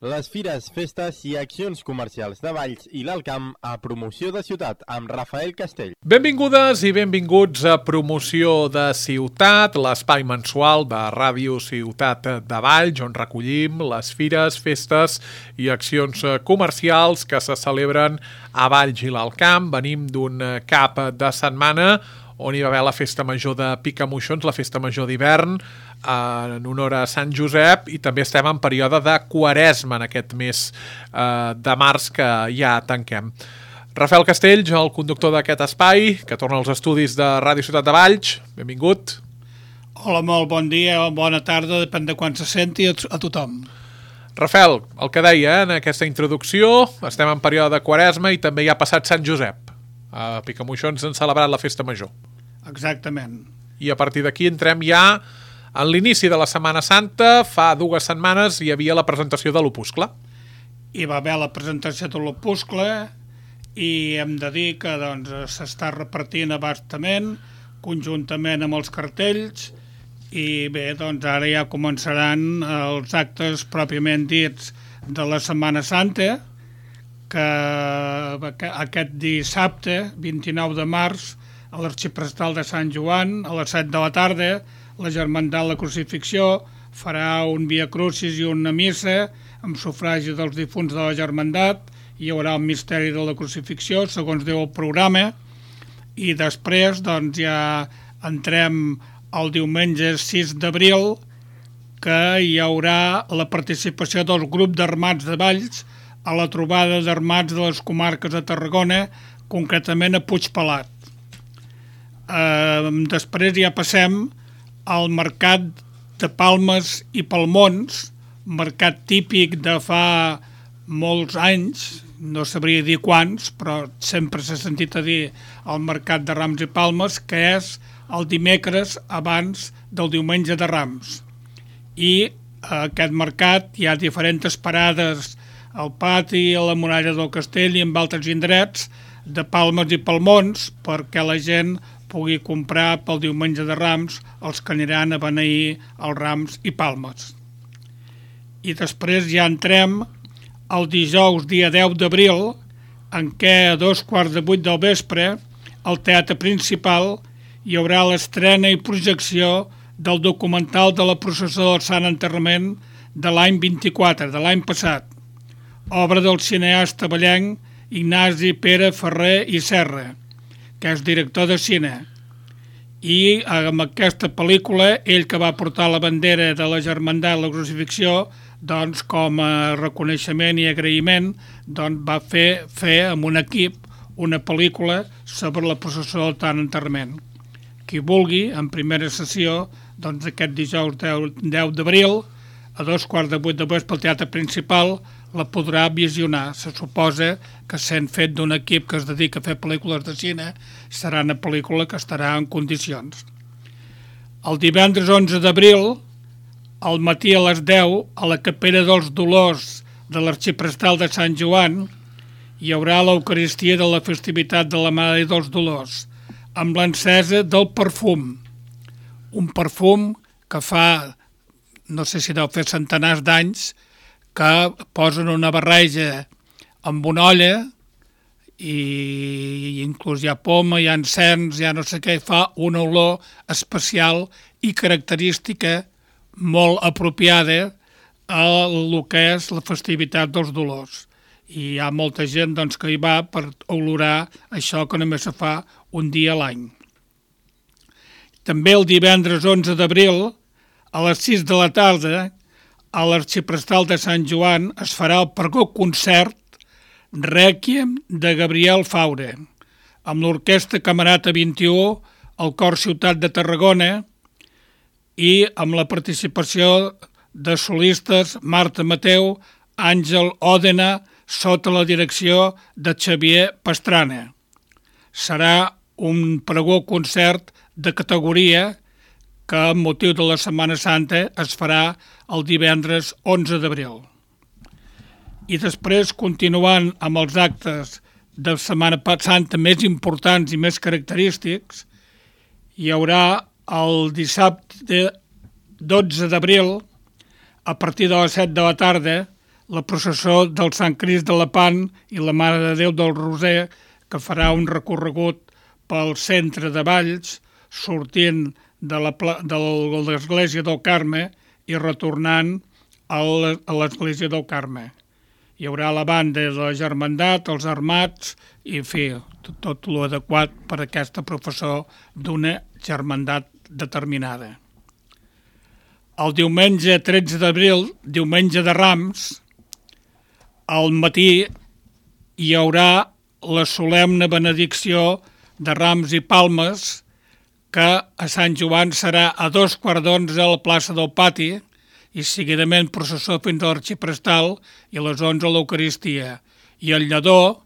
Les fires, festes i accions comercials de Valls i l'Alt Camp a Promoció de Ciutat amb Rafael Castell. Benvingudes i benvinguts a Promoció de Ciutat, l'espai mensual de Ràdio Ciutat de Valls, on recollim les fires, festes i accions comercials que se celebren a Valls i l'Alt Camp. Venim d'un cap de setmana on hi va haver la festa major de Picamoixons, la festa major d'hivern, en honor a Sant Josep, i també estem en període de Quaresma en aquest mes de març que ja tanquem. Rafael Castells, el conductor d'aquest espai, que torna als estudis de Ràdio Ciutat de Valls. Benvingut. Hola, molt bon dia o bona tarda, depèn de quan se senti a tothom. Rafael, el que deia en aquesta introducció, estem en període de Quaresma i també ja ha passat Sant Josep. A Picamoixons han celebrat la festa major. Exactament. I a partir d'aquí entrem ja en l'inici de la Setmana Santa. Fa 2 setmanes hi havia la presentació de l'opuscle. Hi va haver la presentació de l'opuscle i hem de dir que s'està repartint abastament, conjuntament amb els cartells, i bé, ara ja començaran els actes pròpiament dits de la Setmana Santa, que aquest dissabte, 29 de març, a l'Arxiprestal de Sant Joan, a les 7 de la tarda, la Germandat la Crucifixió farà un Via Crucis i una missa amb sufragi dels difunts de la Germandat. Hi haurà el misteri de la Crucifixió, segons diu el programa, i després ja entrem el diumenge 6 d'abril, que hi haurà la participació del grup d'armats de Valls a la trobada d'armats de les comarques de Tarragona, concretament a Puigpelat. Després ja passem al mercat de Palmes i Palmons, mercat típic de fa molts anys, no sabria dir quants, però sempre s'ha sentit a dir el mercat de Rams i Palmes, que és el dimecres abans del diumenge de Rams. I a aquest mercat hi ha diferents parades al pati, a la muralla del castell i en altres indrets de Palmes i Palmons, perquè la gent pugui comprar pel diumenge de Rams els que aniran a beneir els Rams i Palmes. I després ja entrem el dijous, dia 10 d'abril, en què a 7:15 del vespre, al Teatre Principal, hi haurà l'estrena i projecció del documental de la processó del Sant Enterrament de l'any 24, de l'any passat, obra del cineasta vallenc Ignasi Pere Ferrer i Serra, que és director de cine. I amb aquesta pel·lícula, ell que va portar la bandera de la Germandat la Crucifixió, com a reconeixement i agraïment, va fer amb un equip una pel·lícula sobre la processó del Sant Enterrament. Qui vulgui, en primera sessió, aquest dijous 10 d'abril, a 7:15 de vespre al Teatre Principal, la podrà visionar. Se suposa que sent fet d'un equip que es dedica a fer pel·lícules de cine, serà una pel·lícula que estarà en condicions. El divendres 11 d'abril, al matí a les 10, a la Capella dels Dolors de l'Arxiprestal de Sant Joan, hi haurà l'Eucaristia de la festivitat de la Mare dels Dolors, amb l'encesa del perfum. Un perfum que fa, no sé si deu fer centenars d'anys, que posen una barreja amb una olla i inclús hi ha poma, hi ha encens, hi ha no sé què, fa una olor especial i característica molt apropiada a el que és la festivitat dels Dolors. I hi ha molta gent que hi va per olorar això que només se fa un dia a l'any. També el divendres 11 d'abril, a les 6 de la tarda, a l'Arxiprestal de Sant Joan es farà el pregó concert Rèquiem de Gabriel Faure, amb l'Orquestra Camerata 21, el Cor Ciutat de Tarragona i amb la participació de solistes Marta Mateu, Àngel Òdena, sota la direcció de Xavier Pastrana. Serà un pregó concert de categoria que amb motiu de la Setmana Santa es farà el divendres 11 d'abril. I després, continuant amb els actes de Setmana Santa més importants i més característics, hi haurà el dissabte 12 d'abril, a partir de les 7 de la tarda, la processó del Sant Crist de Lepant i la Mare de Déu del Roser, que farà un recorregut pel centre de Valls, sortint de l'església del Carme i retornant a l'església del Carme. Hi haurà la banda de la germandat, els armats i, en fi, tot l'adequat per a aquesta professó d'una germandat determinada. El diumenge 13 d'abril, diumenge de Rams, al matí hi haurà la solemne benedicció de Rams i Palmes, que a Sant Joan serà a 11:15 a la plaça del Pati i seguidament processó fins a l'Arxiprestal i a les 11 a l'Eucaristia. I el lledó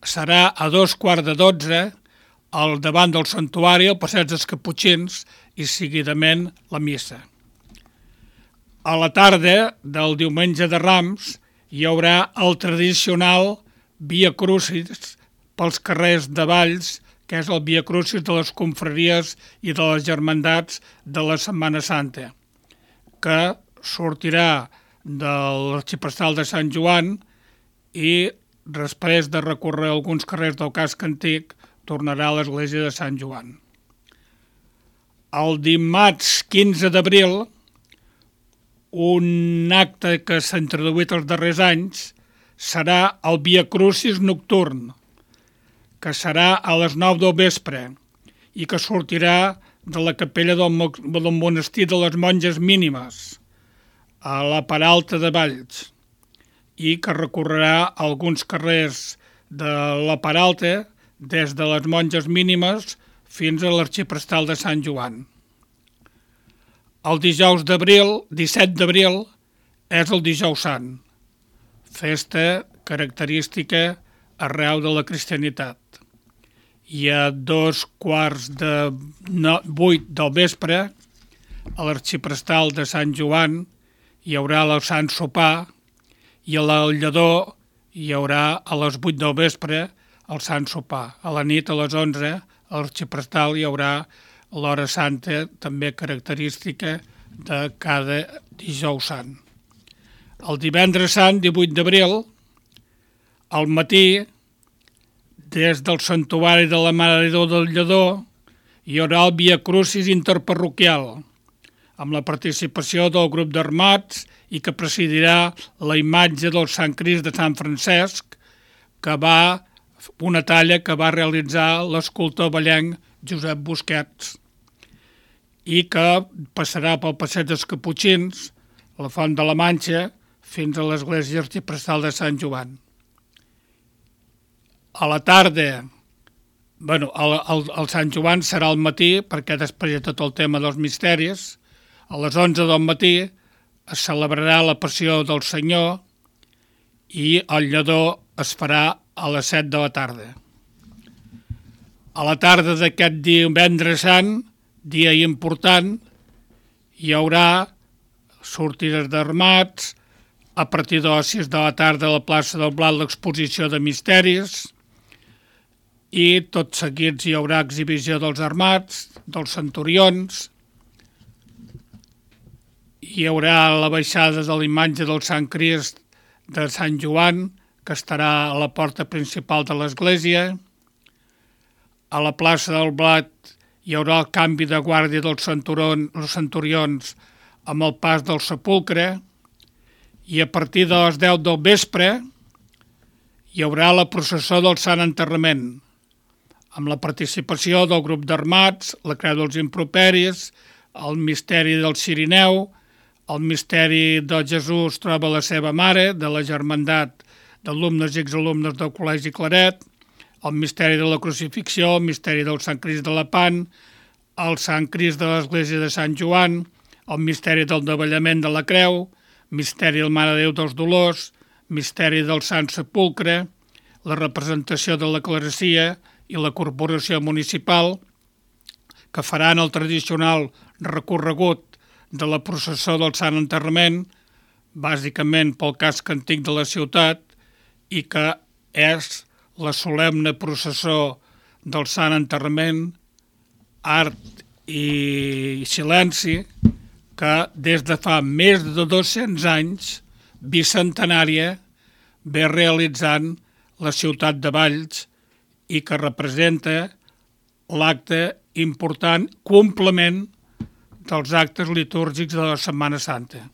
serà a 11:15 al davant del santuari, al passeig dels Caputxins, i seguidament la missa. A la tarda del diumenge de Rams hi haurà el tradicional Via Crucis pels carrers de Valls, que és el Via Crucis de les confraries i de les germandats de la Setmana Santa, que sortirà de l'Arxiprestal de Sant Joan i després de recórrer alguns carrers del casc antic tornarà a l'església de Sant Joan. El dimarts 15 d'abril, un acte que s'ha introduït els darrers anys serà el Via Crucis nocturn, que serà a les 9 del vespre i que sortirà de la capella del monestir de les Monges Mínimes a la Peralta de Valls i que recorrerà alguns carrers de la Peralta des de les Monges Mínimes fins a l'Arxiprestal de Sant Joan. El dijous d'abril, 17 d'abril, és el Dijous Sant, festa característica arreu de la cristianitat. I a 7:45 del vespre, a l'Arxiprestal de Sant Joan, hi haurà el Sant Sopar i a l'Alledó hi haurà a les 8 del vespre el Sant Sopar. A la nit, a les 11, a l'Arxiprestal hi haurà l'hora santa, també característica de cada Dijous Sant. El divendres sant, 18 d'abril, al matí, des del Santuari de la Mare de Déu del Lledó, hi haurà el Via Crucis interparroquial, amb la participació del grup d'armats i que presidirà la imatge del Sant Crist de Sant Francesc, una talla que va realitzar l'escultor vallenc Josep Busquets, i que passarà pel passeig dels Caputxins, la Font de la Manxa, fins a l'església Arxiprestal de Sant Joan. A la tarda, el Sant Joan serà al matí, perquè després hi ha tot el tema dels misteris. A les 11 del matí es celebrarà la Passió del Senyor i el lledó es farà a les 7 de la tarda. A la tarda d'aquest divendres sant, dia important, hi haurà sortides d'armats, a partir de les 6 de la tarda a la plaça del Blat l'exposició de misteris i tot seguit hi haurà exhibició dels armats, dels centurions, hi haurà la baixada de la imatge del Sant Crist de Sant Joan, que estarà a la porta principal de l'església. A la plaça del Blat hi haurà el canvi de guàrdia dels centurions amb el pas del sepulcre i a partir de les 10 del vespre hi haurà la processó del Sant Enterrament, amb la participació del grup d'armats, la Creu dels Improperis, el misteri del Cirineu, el misteri de Jesús troba la seva mare, de la germandat d'alumnes i exalumnes del Col·legi Claret, el misteri de la crucifixió, el misteri del Sant Crist de Lepant, el Sant Crist de l'església de Sant Joan, el misteri del davallament de la creu, misteri del Mare de Déu dels Dolors, misteri del Sant Sepulcre, la representació de la clerecia i la corporació municipal, que faran el tradicional recorregut de la processó del Sant Enterrament, bàsicament pel casc antic de la ciutat, i que és la solemne processó del Sant Enterrament, art i silenci, que des de fa més de 200 anys bicentenària ve realitzant la ciutat de Valls i que representa l'acte important complement dels actes litúrgics de la Setmana Santa.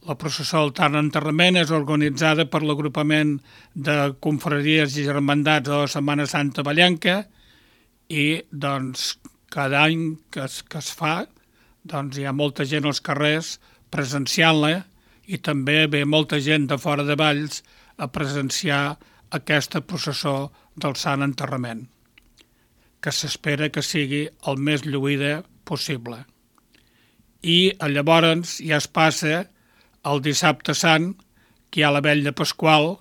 La processó del tant enterrament és organitzada per l'agrupament de confraries i germandats de la Setmana Santa Vallenca i doncs, cada any que es fa doncs, hi ha molta gent als carrers presenciant-la i també ve molta gent de fora de Valls a presenciar aquesta processó del Sant Enterrament, que s'espera que sigui el més lluïda possible. I llavors ja es passa el dissabte sant, que hi ha la vetlla pasqual,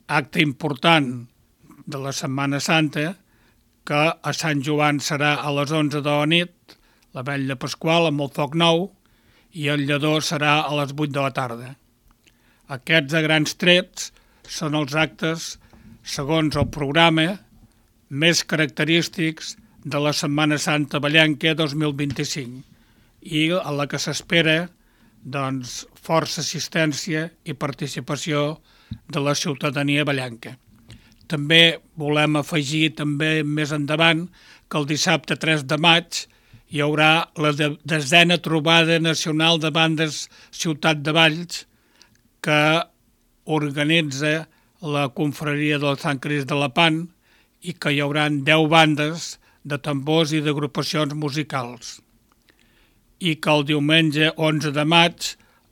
acte important de la Setmana Santa, que a Sant Joan serà a les 11 de la nit, la vetlla pasqual amb el foc nou, i el lledó serà a les 8 de la tarda. Aquests a grans trets són els actes, segons el programa, més característics de la Setmana Santa Vallenca 2025 i a la que s'espera doncs, força assistència i participació de la ciutadania vallenca. També volem afegir també més endavant que el dissabte 3 de maig hi haurà la 10a trobada nacional de bandes Ciutat de Valls que organitza la confraria del Sant Crist de Lepant i que hi haurà 10 bandes de tambors i d'agrupacions musicals. I que el diumenge 11 de maig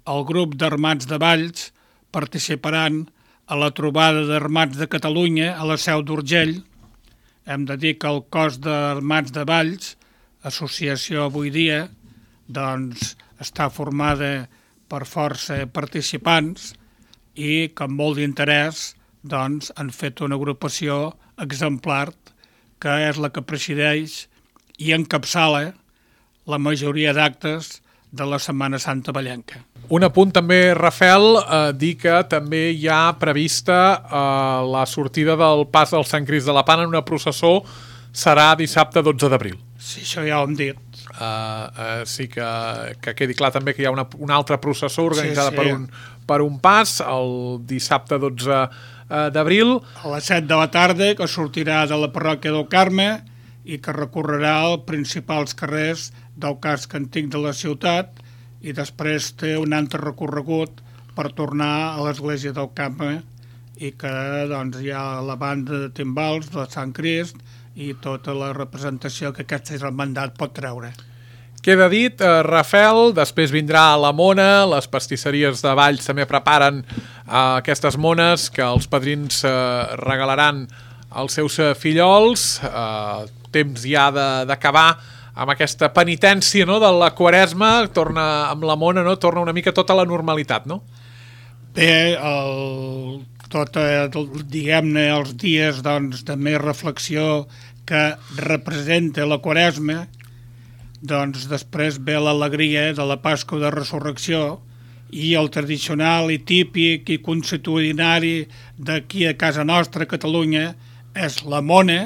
el grup d'Armats de Valls participaran a la trobada d'Armats de Catalunya a la Seu d'Urgell. Hem de dir que el cos d'Armats de Valls, associació avui dia, doncs està formada per força participants i que amb molt d'interès doncs, han fet una agrupació exemplar que és la que presideix i encapçala la majoria d'actes de la Setmana Santa Vallenca. Un apunt també, Rafel, dir que també hi ha prevista la sortida del pas del Sant Crist de Lepant en una processó serà dissabte 12 d'abril. Sí, això ja ho hem dit. Sí que quedi clar també que hi ha una altra processó organitzada sí. per un pas el dissabte 12 d'abril. A les 7 de la tarda, que sortirà de la parròquia del Carme i que recorrerà els principals carrers del casc antic de la ciutat i després té un altre recorregut per tornar a l'església del Carme i que doncs, hi ha la banda de timbals de Sant Crist i tota la representació que aquest mandat pot treure. Queda dit, Rafel, després vindrà la mona, les pastisseries de Valls també preparen aquestes mones que els padrins regalaran als seus fillols, temps ja d'acabar amb aquesta penitència, no?, de la Quaresma, torna amb la mona, no?, torna una mica tota la normalitat, no? Bé, diguem-ne, els dies doncs, de més reflexió que representa la Quaresma, doncs després ve l'alegria de la Pasqua de Resurrecció i el tradicional i típic i consuetudinari d'aquí a casa nostra, a Catalunya, és la mona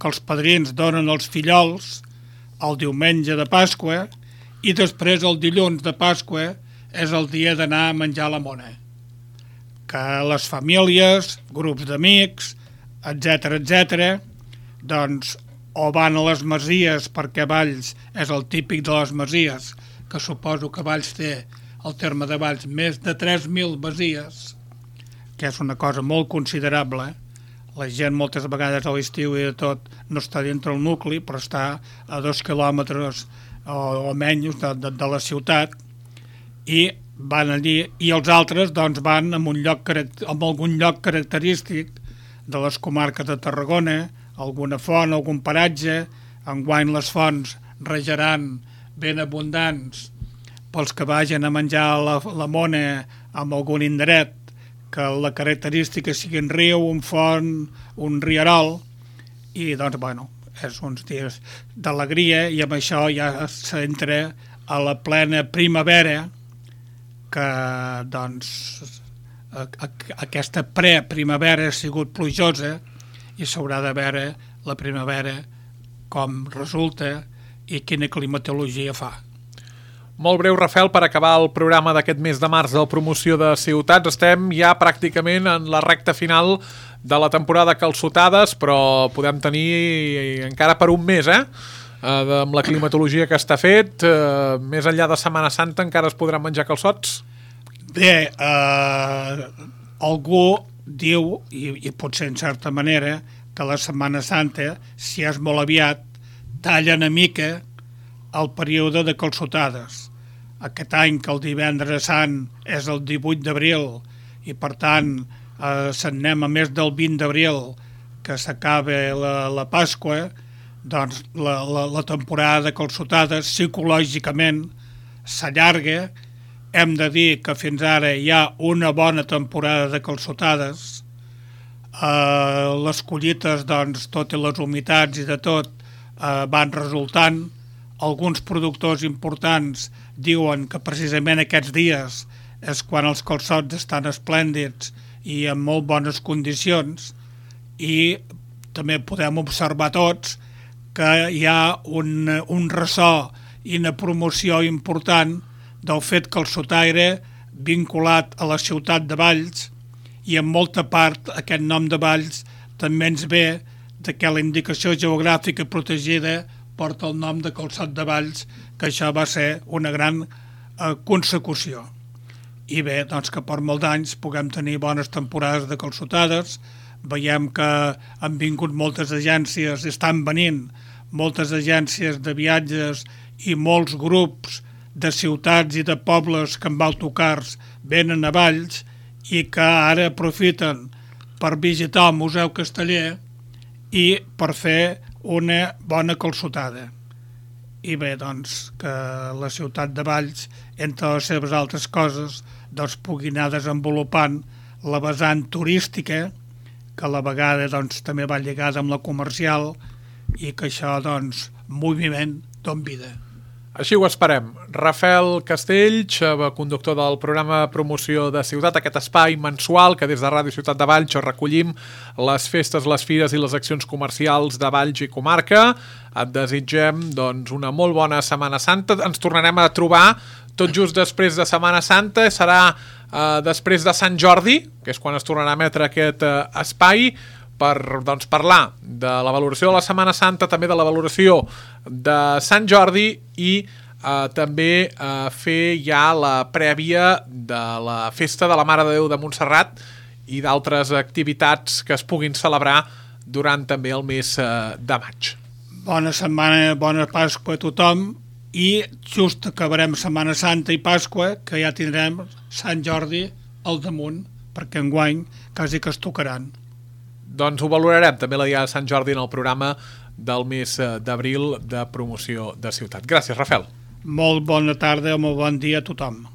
que els padrins donen als fillols el diumenge de Pasqua i després el dilluns de Pasqua és el dia d'anar a menjar la mona. Que les famílies, grups d'amics, etc., doncs o van a les masies, perquè Valls és el típic de les masies, que suposo que Valls té el terme de Valls més de 3.000 masies, que és una cosa molt considerable. La gent moltes vegades a l'estiu i de tot no està dintre el nucli, però està a 2 quilòmetres o menys de la ciutat i van allí, i els altres doncs, van a algun lloc característic de les comarques de Tarragona, alguna font, algun paratge. Enguany les fonts rejaran ben abundants pels que vagin a menjar la mona amb algun indret, que la característica sigui un riu, un font, un rierol, i doncs, bueno, és uns dies d'alegria i amb això ja s'entra a la plena primavera, que doncs aquesta preprimavera ha sigut plujosa i s'haurà de veure la primavera com resulta i quina climatologia fa. Molt breu, Rafael, per acabar el programa d'aquest mes de març del Promoció de Ciutats. Estem ja pràcticament en la recta final de la temporada Calçotades, però podem tenir encara per un mes, amb la climatologia que està fet, més enllà de Setmana Santa encara es podran menjar calçots? Bé, algú diu, i potser en certa manera, que la Setmana Santa, si és molt aviat, talla una mica el període de calçotades. Aquest any, que el divendres sant és el 18 d'abril i, per tant, se'n anem a més del 20 d'abril, que s'acaba la Pasqua, doncs la temporada de calçotades psicològicament s'allarga. Hem de dir que fins ara hi ha una bona temporada de calçotades. Les collites, doncs, tot i les humitats i de tot, van resultant. Alguns productors importants diuen que precisament aquests dies és quan els calçots estan esplèndids i en molt bones condicions, i també podem observar tots que hi ha un ressò i una promoció important del fet que el sotaire vinculat a la ciutat de Valls, i en molta part aquest nom de Valls també ens ve de que la indicació geogràfica protegida porta el nom de Calçot de Valls, que això va ser una gran consecució. I bé, doncs que per molts anys puguem tenir bones temporades de calçotades. Veiem que han vingut moltes agències, estan venint moltes agències de viatges i molts grups de ciutats i de pobles que amb autocars venen a Valls i que ara aprofiten per visitar el Museu Casteller i per fer una bona calçotada. I bé, doncs, que la ciutat de Valls, entre les seves altres coses, doncs pugui anar desenvolupant la vessant turística, que a la vegada doncs, també va lligada amb la comercial, i que això, doncs, moviment don vida. Així ho esperem. Rafael Castells, conductor del programa Promoció de Ciutat, aquest espai mensual que des de Ràdio Ciutat de Valls recollim les festes, les fires i les accions comercials de Valls i comarca. Et desitgem doncs, una molt bona Setmana Santa. Ens tornarem a trobar tot just després de Setmana Santa. Serà després de Sant Jordi, que és quan es tornarà a emetre aquest espai, per doncs, parlar de la valoració de la Setmana Santa, també de la valoració de Sant Jordi i també fer ja la prèvia de la festa de la Mare de Déu de Montserrat i d'altres activitats que es puguin celebrar durant també el mes de maig. Bona setmana, bona Pasqua a tothom, i just acabarem Setmana Santa i Pasqua, que ja tindrem Sant Jordi al damunt, perquè enguany quasi que es tocaran. Doncs ho valorarem també la dia de Sant Jordi en el programa del mes d'abril de Promoció de Ciutat. Gràcies, Rafael. Molt bona tarda o molt bon dia a tothom.